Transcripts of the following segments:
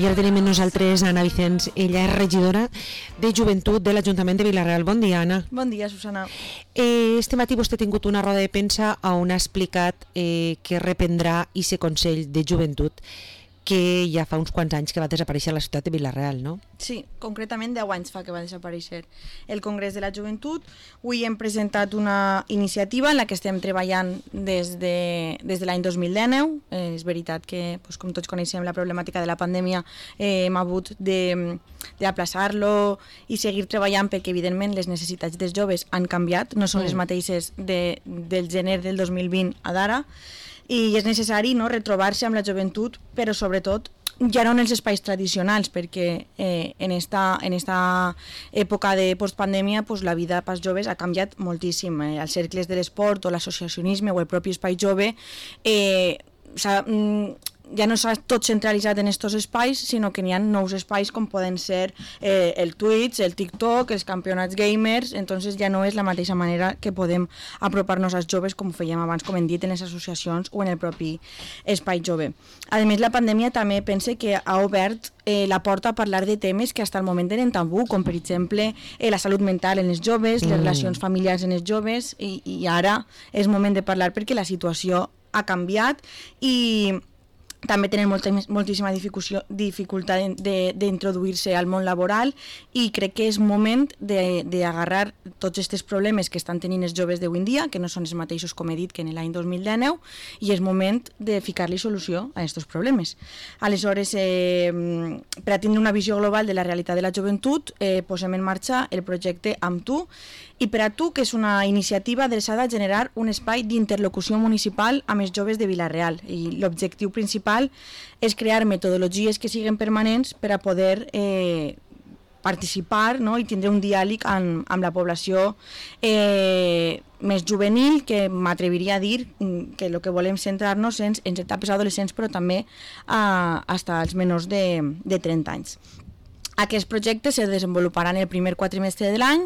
I ara tenim amb nosaltres Anna Vicens. Ella és regidora de Joventut de l'Ajuntament de Vila-real. Bon dia, Anna. Bon dia, Susana. Este matí vostè ha tingut una roda de premsa on ha explicat que reprendrà aquest Consell de Joventut que ja fa uns quants anys que va desaparèixer a la ciutat de Vila-real, no? Sí, concretament 10 anys fa que va desaparèixer el Congrés de la Joventut. Avui hem presentat una iniciativa en la que estem treballant des de l'any 2019. És veritat que, com tots coneixem, la problemàtica de la pandèmia hem hagut d'aplaçar-lo i seguir treballant perquè, evidentment, les necessitats dels joves han canviat, no són les mateixes del gener del 2020 a d'ara, i és necessari retrobar-se amb la joventut, però sobretot ja no en els espais tradicionals, perquè en esta època de postpandèmia la vida pels joves ha canviat moltíssim. Els cercles de l'esport o l'associacionisme o el propi espai jove ja no s'ha tot centralitzat en aquests espais, sinó que n'hi ha nous espais com poden ser el Twitch, el TikTok, els campionats gamers. Entonces ja no és la mateixa manera que podem apropar-nos als joves com ho fèiem abans, com hem dit, en les associacions o en el propi espai jove. A més, la pandèmia també pense que ha obert la porta a parlar de temes que fins al moment eren tabú, com per exemple la salut mental en els joves, les relacions familiars en els joves, i ara és moment de parlar perquè la situació ha canviat i també tenen moltíssima dificultat d'introduir-se al món laboral, i crec que és moment d'agarrar tots aquests problemes que estan tenint els joves d'avui en dia, que no són els mateixos, com he dit, que en l'any 2019, i és moment de ficar-li solució a aquests problemes. Aleshores, per a tindre una visió global de la realitat de la joventut, posem en marxa el projecte Amb tu, i per a tu, que és una iniciativa adreçada a generar un espai d'interlocució municipal amb els joves de Vila-real. I l'objectiu principal és crear metodologies que siguin permanents per a poder participar i tindre un diàleg amb la població més juvenil, que m'atreviria a dir que el que volem centrar-nos en etapes adolescents, però també fins als menors de 30 anys. Aquest projecte se desenvoluparà en el primer quatrimestre de l'any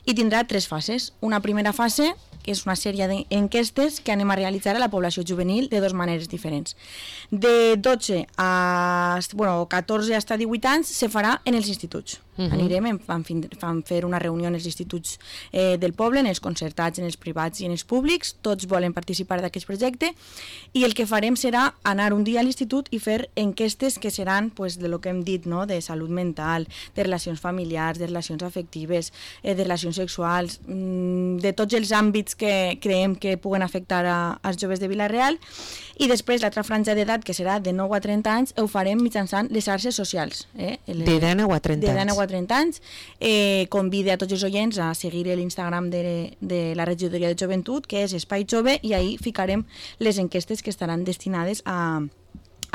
i tindrà 3 fases. Una primera fase, que és una sèrie d'enquestes que anem a realitzar a la població juvenil de 2 maneres diferents. De 12 a 14 fins a 18 anys se farà en els instituts. Anirem, vam fer una reunió en els instituts del poble, en els concertats, en els privats i en els públics. Tots volen participar d'aquest projecte, i el que farem serà anar un dia a l'institut i fer enquestes que seran de lo que hem dit, de salut mental, de relacions familiars, de relacions afectives, de relacions sexuals, de tots els àmbits que creiem que puguen afectar als joves de Vila-real. I després l'altra franja d'edat, que serà de 9 a 30 anys, ho farem mitjançant les xarxes socials. De 9 a 30 anys. Convide a tots els oients a seguir l'Instagram de la regidoria de joventut, que és Espai Jove, i ahí ficarem les enquestes que estaran destinades a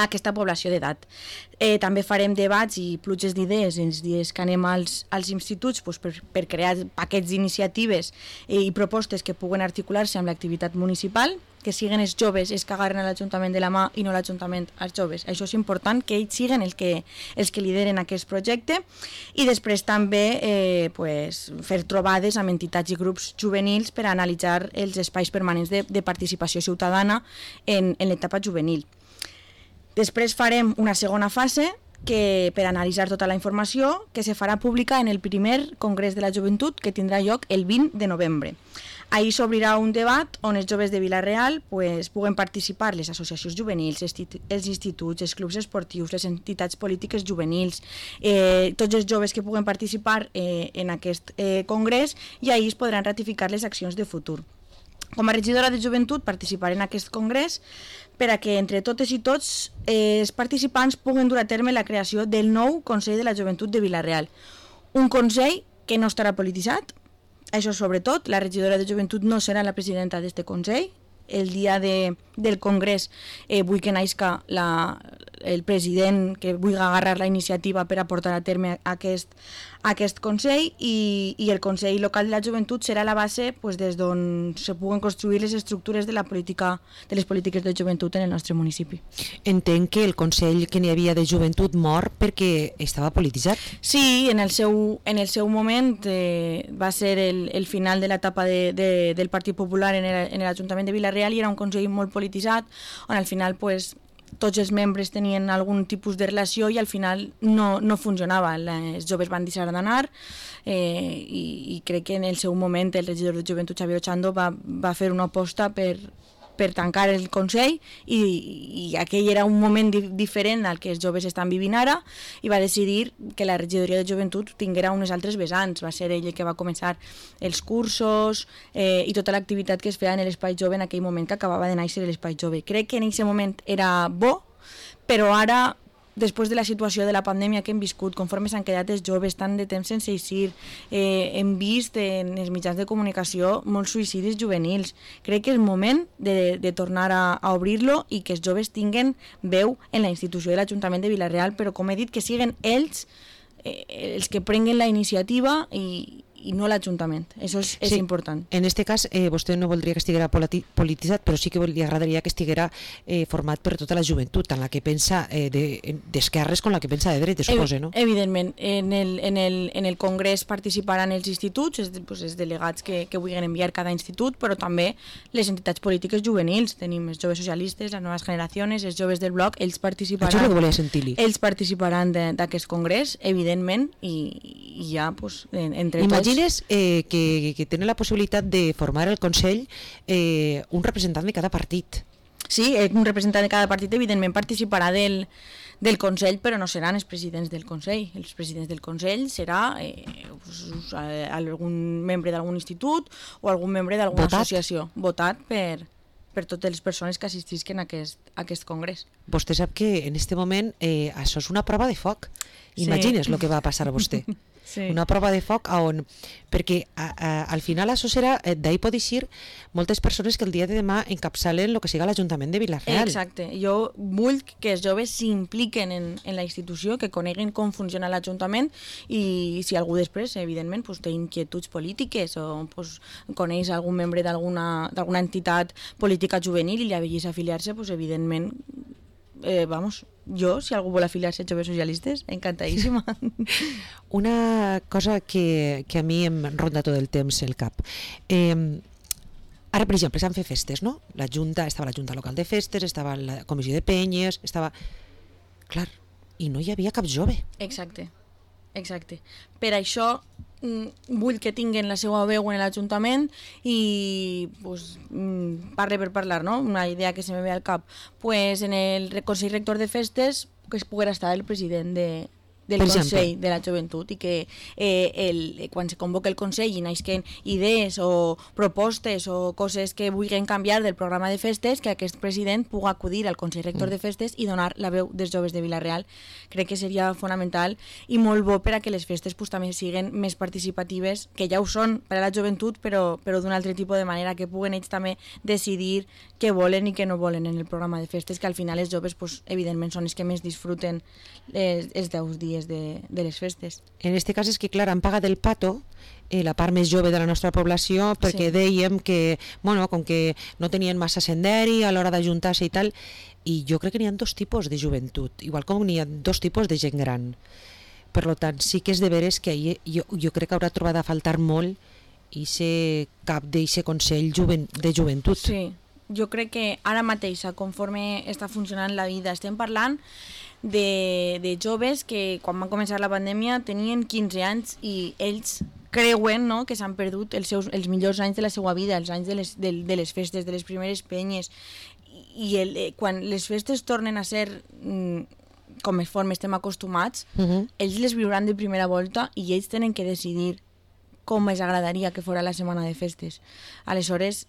aquesta població d'edat. També farem debats i pluges d'idees els dies que anem als instituts per crear paquets d'iniciatives i propostes que puguen articular-se amb l'activitat municipal, que siguin els joves els que agarren l'Ajuntament de la mà i no l'Ajuntament als joves. Això és important, que ells siguin els que lideren aquest projecte. I després també fer trobades amb entitats i grups juvenils per analitzar els espais permanents de participació ciutadana en l'etapa juvenil. Després farem una segona fase per analitzar tota la informació, que se farà pública en el primer Congrés de la Joventut, que tindrà lloc el 20 de novembre. Ahí s'obrirà un debat on els joves de Vila-real puguen participar les associacions juvenils, els instituts, els clubs esportius, les entitats polítiques juvenils, tots els joves que puguen participar en aquest congrés, i ahí es podran ratificar les accions de futur. Com a regidora de joventut participaré en aquest congrés per a que entre totes i tots els participants puguen dur a terme la creació del nou Consell de la Joventut de Vila-real. Un consell que no estarà polititzat. Això sobretot, la regidora de joventut no serà la presidenta d'aquest consell. El dia del congrés vull que naixca el president que vulgui agarrar la iniciativa per a portar a terme aquest Consell, i el Consell Local de la Joventut serà la base des d'on se puguen construir les estructures de les polítiques de joventut en el nostre municipi. Entenc que el Consell que n'hi havia de joventut mor perquè estava polititzat. Sí, en el seu moment va ser el final de l'etapa del Partit Popular en l'Ajuntament de Vila-real, i era un Consell molt polititzat, on al final tots els membres tenien algun tipus de relació i al final no funcionava. Els joves van deixar d'anar i crec que en el seu moment el regidor de Joventut, Xavier Ochando, va fer una aposta per tancar el Consell i aquell era un moment diferent al que els joves estan vivint ara i va decidir que la regidoria de Joventut tinguera unes altres vessants. Va ser ell el que va començar els cursos i tota l'activitat que es feia en l'Espai Jove en aquell moment que acabava de néixer l'Espai Jove. Crec que en aquest moment era bo, però ara, després de la situació de la pandèmia que hem viscut, conforme s'han quedat els joves tant de temps sense eixir, hem vist en els mitjans de comunicació molts suïcidis juvenils. Crec que és moment de tornar a obrir-lo i que els joves tinguen veu en la institució de l'Ajuntament de Vila-real, però com he dit, que siguen ells els que prenguen la iniciativa i no l'Ajuntament. Això és important. En aquest cas, vostè no voldria que estiguera polititzat, però sí que li agradaria que estiguera format per tota la joventut, tant la que pensa d'esquerres com la que pensa de dretes, suposo, no? Evidentment. En el Congrés participaran els instituts, els delegats que vulguin enviar cada institut, però també les entitats polítiques juvenils. Tenim els joves socialistes, les noves generacions, els joves del bloc, ells participaran. Això ho volia sentir-li. Ells participaran d'aquest congrés, evidentment, i ja, entre tots... Imagines que tenen la possibilitat de formar el Consell un representant de cada partit. Sí, un representant de cada partit evidentment participarà del Consell, però no seran els presidents del Consell. Els presidents del Consell serà algun membre d'algun institut o algun membre d'alguna associació, votat per totes les persones que assistisquen a aquest congrés. Vostè sap que en aquest moment això és una prova de foc. Imagines el que va passar a vostè. Sí. Una prova de foc on, perquè al final això serà, d'ahir pot eixir moltes persones que el dia de demà encapçalen el que siga l'Ajuntament de Vila-real. Exacte, jo vull que els joves s'impliquen en la institució, que coneguin com funciona l'Ajuntament i si algú després, evidentment, té inquietuds polítiques o coneix algun membre d'alguna entitat política juvenil i li avellís afiliar-se, evidentment, jo, si algú vol afiliar-se als joves socialistes, encantadíssima. Una cosa que a mi em ronda tot el temps el cap. Ara, per exemple, s'han fet festes, no? Estava la Junta Local de Festes, estava la Comissió de Penyes, estava... Clar, i no hi havia cap jove. Exacte. Per això vull que tinguin la seva veu en l'Ajuntament i parle per parlar, no? Una idea que se me ve al cap. En el Consell Rector de Festes que es poguera estar el president del Consell de la Joventut i que quan se convoca el Consell i naixen idees o propostes o coses que vulguin canviar del programa de festes, que aquest president pugui acudir al Consell Rector de Festes i donar la veu dels joves de Vila-real. Crec que seria fonamental i molt bo per a que les festes també siguin més participatives, que ja ho són per a la joventut, però d'un altre tipus de manera, que puguen ells també decidir què volen i què no volen en el programa de festes, que al final els joves, evidentment, són els que més disfruten els 10 dies de les festes. En aquest cas és que, clar, han pagat el pato la part més jove de la nostra població perquè dèiem que, com que no tenien massa senderi a l'hora d'ajuntar-se i tal, i jo crec que n'hi ha dos tipus de joventut, igual com n'hi ha dos tipus de gent gran. Per tant, sí que és de veres que jo crec que haurà trobat a faltar molt i cap d'aquest Consell de Joventut. Sí, jo crec que ara mateix, conforme està funcionant la vida, estem parlant de joves que quan van començar la pandèmia tenien 15 anys i ells creuen, no?, que s'han perdut els millors anys de la seva vida, els anys de les festes, de les primeres penyes, i quan les festes tornen a ser conforme estem acostumats, ells les viuran de primera volta i ells tenen que decidir com els agradaria que fora la setmana de festes. Aleshores,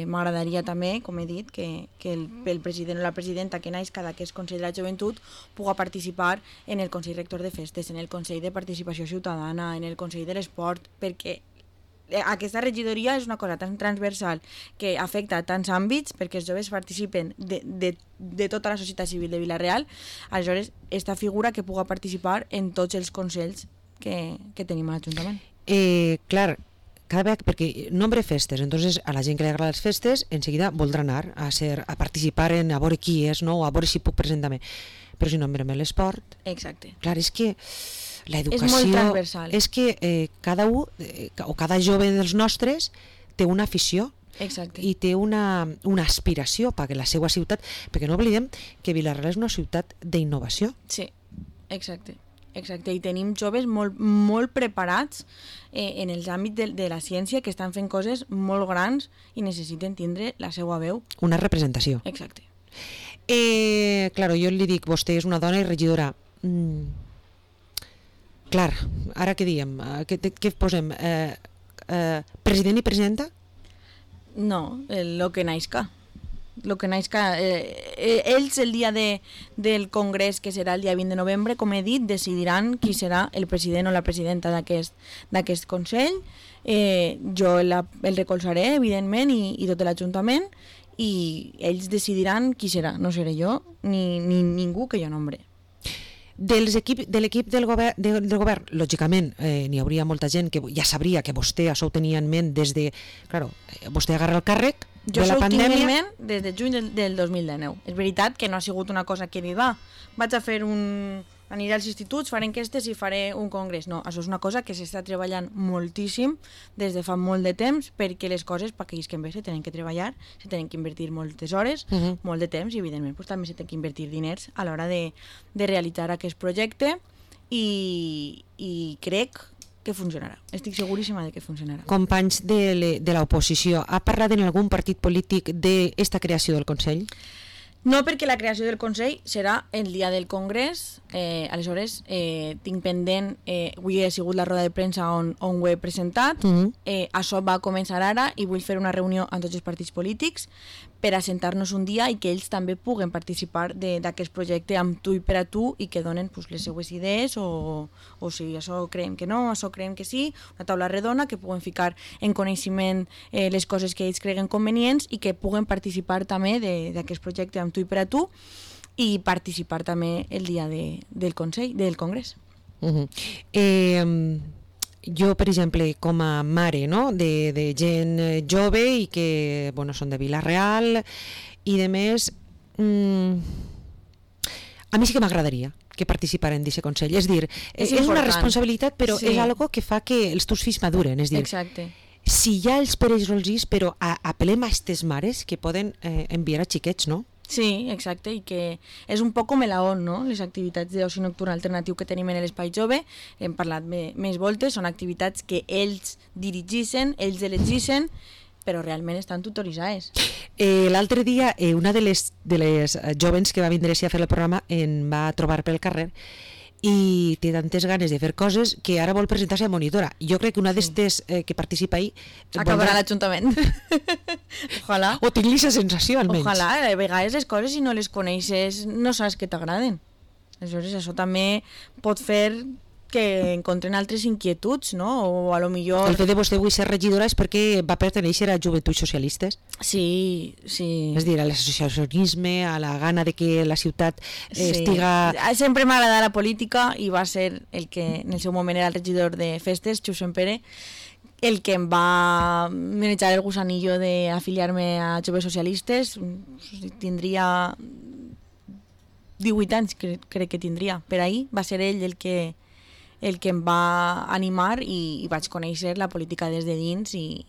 m'agradaria també, com he dit, que el president o la presidenta que naix cada que és Consell de la Joventut pugui participar en el Consell Rector de Festes, en el Consell de Participació Ciutadana, en el Consell de l'Esport, perquè aquesta regidoria és una cosa tan transversal que afecta tants àmbits, perquè els joves participen de tota la societat civil de Vila-real. Aleshores, aquesta figura que pugui participar en tots els consells que tenim a l'Ajuntament. Clar, cada vegada, perquè nombre festes, entonces a la gent que li agrada les festes enseguida voldrà anar a participar a veure qui és, no? O a veure si puc presentar-me, però si nombrem l'esport, exacte. Clar, és que l'educació és molt transversal. És que cada jove dels nostres té una afició, Exacte. I té una aspiració perquè la seva ciutat, perquè no oblidem que Vila-real és una ciutat d'innovació. Sí, exacte. Exacte, i tenim joves molt preparats en els àmbits de la ciència que estan fent coses molt grans i necessiten tindre la seva veu. Una representació. Exacte. Claro, jo li dic, vostè és una dona i regidora. Clar, ara què diem? Què posem? President i presidenta? No, lo que naixca. Lo que naixca. Ells el dia del congrés, que serà el dia 20 de novembre, com he dit, decidiran qui serà el president o la presidenta d'aquest Consell. Jo el recolzaré, evidentment, i tot l'Ajuntament, i ells decidiran qui serà. No seré jo ni ningú que jo nombre. De l'equip del govern, lògicament, n'hi hauria molta gent que ja sabria que vostè això ho tenia en ment des de... Claro, vostè agarra el càrrec de la pandèmia... Jo tinc en ment des de juny del 2019. És veritat que no ha sigut una cosa que he dit, vaig a fer aniré als instituts, faré enquestes i faré un congrés. No, això és una cosa que s'està treballant moltíssim des de fa molt de temps, perquè les coses, per que isquen bé, se tenen que treballar, se tenen que invertir moltes hores, molt de temps, i evidentment també se tenen que invertir diners a l'hora de realitzar aquest projecte, i crec que funcionarà. Estic seguríssima de que funcionarà. Companys de l'oposició, ha parlat en algun partit polític d'esta creació del Consell? No, perquè la creació del Consell serà el dia del Congrés. Aleshores, tinc pendent, avui ha sigut la roda de premsa on ho he presentat. Això va començar ara i vull fer una reunió amb tots els partits polítics per assentar-nos un dia i que ells també puguen participar d'aquest projecte amb tu i per a tu, i que donen les seues idees, o si això creiem que no, això creiem que sí, una taula redona que puguen ficar en coneixement les coses que ells creguen convenients, i que puguen participar també d'aquest projecte amb tu i per a tu, i participar també el dia del Consell, del Congrés. Jo, per exemple, com a mare, no?, de gent jove i que, bueno, són de Vila-real i de més, a mi sí que m'agradaria que participaren d'aquest Consell. És dir, és una responsabilitat, però és algo que fa que els teus fills maduren. És dir, si ja els pereix rolgis, però apel·lem a aquestes mares que poden enviar a xiquets, no? Sí, exacte, i que és un poc com l'AON, no? Les activitats d'oci nocturn alternatiu que tenim en l'Espai Jove, hem parlat més voltes, són activitats que ells dirigeixen, ells elegissen, però realment estan tutoritzades. L'altre dia, una de les jovens que va vindre a fer el programa em va trobar pel carrer i té tantes ganes de fer coses que ara vol presentar-se a monitora. Jo crec que una d'estes que participa ahí... acabarà a l'Ajuntament. Ojalà. O tinc la sensació, almenys. Ojalà, a vegades les coses, si no les coneixes, no saps que t'agraden. Aleshores, això també pot fer que encontren altres inquietuds, no? O a lo millor... El fet de vostè avui ser regidora és perquè va pertenèixer a Joventuts Socialistes? Sí, sí. És dir, a l'associacionisme, a la gana de que la ciutat estiga... Sempre m'ha agradat la política, i va ser el que en el seu moment era el regidor de festes, Josep Pere, el que em va manejar el gusanillo d'afiliar-me a Joves Socialistes. Tindria 18 anys, crec que tindria. Per ahir va ser ell el que em va animar, i vaig conèixer la política des de dins, i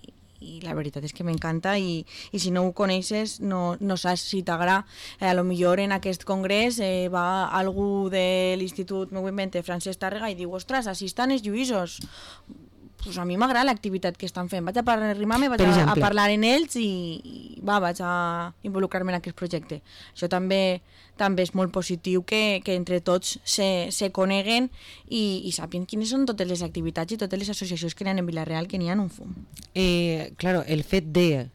la veritat és que m'encanta, i si no ho coneixes no saps si t'agrada. A lo millor en aquest congrés va algú de l'Institut, m'ho invente, Francesc Tàrrega, i diu, ostres, així estan els lluïsos. Pues a mi m'agrada l'activitat que estan fent, vaig a arrimar-me, vaig a parlar en ells, i vaig a involucrar-me en aquest projecte. Això també és molt positiu, que entre tots se coneguen i sàpien quines són totes les activitats i totes les associacions que hi ha en Vila-real, que n'hi ha un fum. Claro, el fet de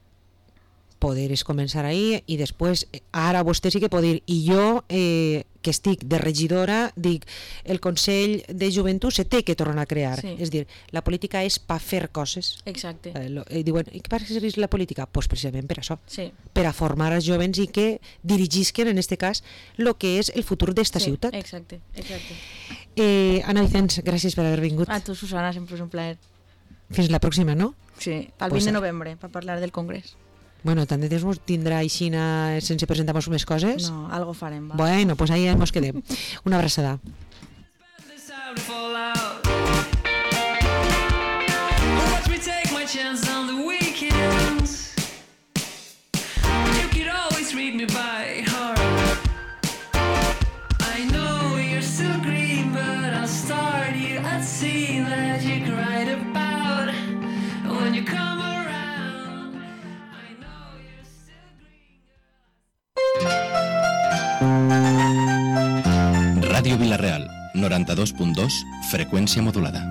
poder és començar ahí, i després ara vostè sí que pot dir, i jo que estic de regidora dic, el Consell de Joventut se té que tornar a crear. És dir, la política és per fer coses. Exacte. Diuen, i què per què serveix la política? Doncs precisament per això, sí, per a formar els jovens i que dirigisquen, en aquest cas, el que és el futur d'esta ciutat. Exacte. Anna Vicens, gràcies per haver vingut. A tu, Susana, sempre és un plaer. Fins la pròxima, no? Sí, el 20 de novembre, per parlar del Congrés. Bueno, tant de temps tindrà aixina sense presentar-nos més coses? No, algo farem, va. Bueno, pues ahí ens quedem. Una abraçada. Vila Real, 92.2, freqüència modulada.